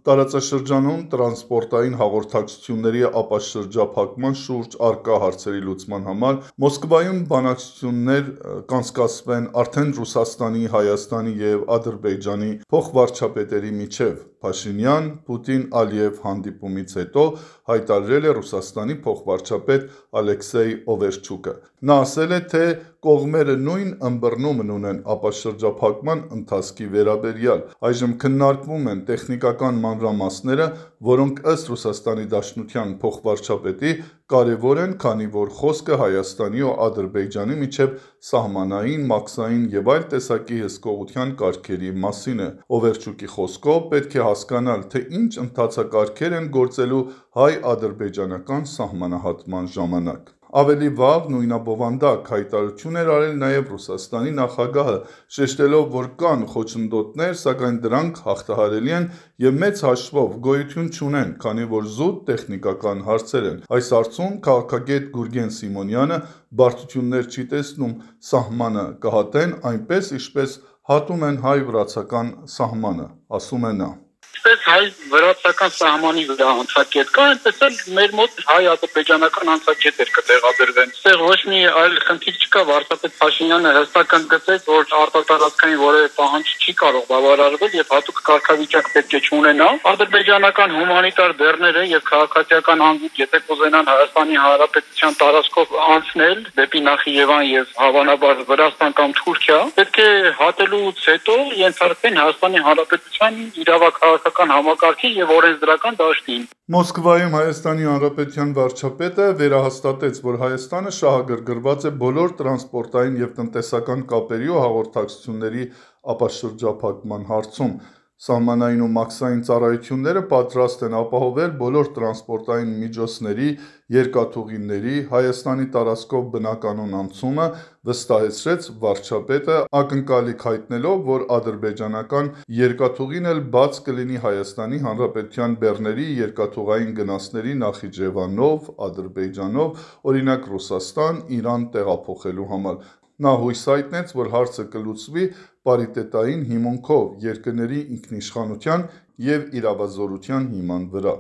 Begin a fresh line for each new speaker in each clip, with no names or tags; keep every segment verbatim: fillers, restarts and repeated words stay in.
Տարածաշրջանում տրանսպորտային հաղորդակցությունների ապաշրջափակման շուրջ առկա հարցերի լուծման համար Մոսկվայում բանակցություններ կանցկացվեն արդեն Ռուսաստանի, Հայաստանի և Ադրբեջանի փոխվարչապետերի միջև, Փաշինյան, Պուտին, Ալիև հանդիպումից հետո հայտարարել է Ռուսաստանի փոխվարչապետ Ալեքսեյ Օվերչուկը։ Նա ասել է, թե կողմերը նույն ըմբռնումն ունեն ապաշրջափակման ընթացքի վերաբերյալ։ Այժմ քննարկվում են տեխնիկական մանրամասները, որոնք ըստ Ռուսաստանի Դաշնության փոխվարչապետի կարևոր են, քանի որ խոսքը Հայաստանի ու Ադրբեջանի միջև սահմանային, մաքսային և այլ տեսակի հսկողության կարգերի մասին է։ Օվերչուկի խոսքով պետք է հասկանալ, թե ինչ ընթացակարգեր են գործելու հայ-ադրբեջանական սահմանահատման ժամանակ։ Ավելի վաղ նույնաբովանդակ հայտարարություն էր արել նաև Ռուսաստանի նախագահը, շեշտելով, որ կան խոչընդոտներ, սակայն դրանք հաղթահարելի են և մեծ հաշվով գոյություն չունեն, քանի որ զուտ տեխնիկական հարցեր են։ Այս հարցում քաղաքագետ Գուրգեն Սիմոնյանը բարդություններ չի տեսնում, սահմանը կհատեն այնպես, ինչպես հատում են հայ-վրացական սահմանը, ասում է նա։
Ինչպես հայ-վրացական սահմանի վրա անցակետ կա, այնպես էլ մեր մոտ հայ-ադրբեջանական անցակետեր կտեղադրվեն։ Այստեղ ոչ մի այլ խնդիր չկա, վարչապետ Փաշինյանը հստակ ընդգծեց, որ արտատարածքային որևէ պահանջ չի կարող բավարարվել եւ հատուկ կարգավիճակ պետք է չունենա։ Ադրբեջանական հումանիտար բեռները եւ քաղաքացիական հանգույց, եթե կուզենան Հայաստանի Հանրապետության տարածքով անցնել դեպի Նախիջևան եւ հավանաբար Վրաստան կամ Թուրքիա, պետք է հատելուց հետո ենթարկվեն Հայաստանի Հանրապետության իրավաքաղաքական համակարգի եւ օրենսդրական դաշտին։
Մոսկվայում Հայաստանի Հանրապետության վարչապետը վերահաստատեց, որ Հայաստանը շահագրգռված է բոլոր տրանսպորտային և տնտեսական կապերի ու հաղորդակցությունների ապաշրջափակման հարցում։ Սահմանային ու մաքսային ծառայությունները պատրաստ են ապահովել բոլոր տրանսպորտային միջոցների, երկաթուղիների Հայաստանի տարածքով բնականոն անցումը, վստահեցրեց վարչապետը, ակնկալիք հայտնելով, որ ադրբեջանական երկաթուղին էլ բաց կլինի Հայաստանի Հանրապետության բեռների երկաթուղային գնացների Նախիջևանով, Ադրբեջանով, օրինակ Ռուսաստան, Իրան տեղափոխելու համար։ Նա հույս հայտնեց, որ հարցը կլուծվի պարիտետային հիմունքով, երկրների ինքնիշխանության և իրավազորության հիման վրա։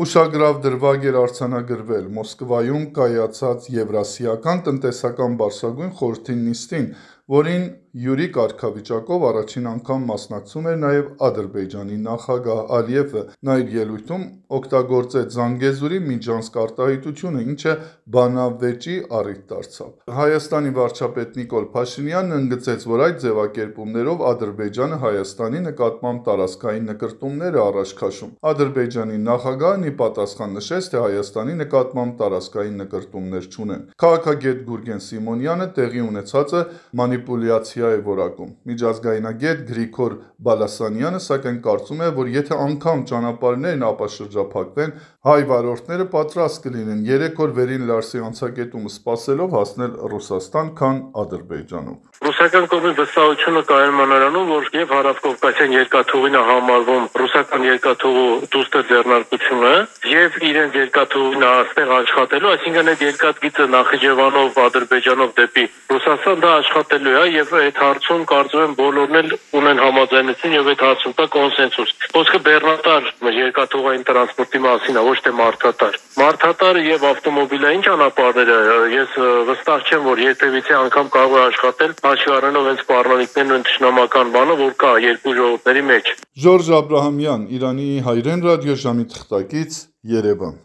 Ուշագրավ դրվագ էր արձանագրվել Մոսկվայում կայացած Եվրասիական տնտեսական բարձրագույն խորհրդի նիստին, որին հյուրի կարգավիճակով առաջին անգամ մասնակցում էր նաև Ադրբեջանի նախագահ Ալիևը։ Նա իր ելույթում օգտագործեց Զանգեզուրի միջանցք արտահայտությունը, ինչը բանավեճի առիթ դարձավ։ Հայաստանի վարչապետ Նիկոլ Փաշինյանն ընդգծեց, որ այդ ձևակերպումներով Ադրբեջանը Հայաստանի նկատմամբ տարածքային նկրտումներ է առաջ քաշում։ Ադրբեջանի նախագահն ի պատասխան նշեց, թե Հայաստանի նկատմամբ տարածքային նկրտումներ չունեն։ Քաղաքագետ Գուրգեն Սիմոնյանը տեղի ունեցածը մանիպուլյացիա է որակում։ Միջազգայնագետ Գրիգոր Բալասանյանը սակայն կարծում է, որ եթե անգամ ճանապարհներն ապաշրջափակվեն, հայ վարորդները պատրաստ կլինեն երեք օր վերին Լարսի անցակետումը սպասելով հասնել Ռուսաստան, քան Ադրբեջանով։
Ռուսական կողմի վստահությունը կայանում է նրանում, որ եւ հարավկովկասյան երկաթուղին է համարվում ռուսական երկաթուղու դուստր ձեռնարկությունը եւ իրենց երկաթուղին այստեղ աշխատելու, այսինքն այդ երկաթգիծը Նախիջևանով, Ադրբեջանով դեպի Ռուսաստան դա աշխատելու է եւ այդ հարցում կարծում եմ բոլորն էլ ունեն համաձայնություն եւ այդ հարցում կա կոնսենսուս։ Խոսքը բեռնատար երկաթուղային տրանսպորտի մասին է, ոչ թե մարդատար։ Մարդատար եւ ավտոմոբիլային ճանապարհները ես վստահ չեմ, որ երբևիցե անգամ կարող է աշխատել հաշվի առնելով հենց պարլամենտներն ու ընդշնամական բանը, որ կա երկու ժողովուրդների մեջ։
Ժորժ Աբրահամյան, Իրանի հայրեն ռադիոժամի թղթակից, Երևան։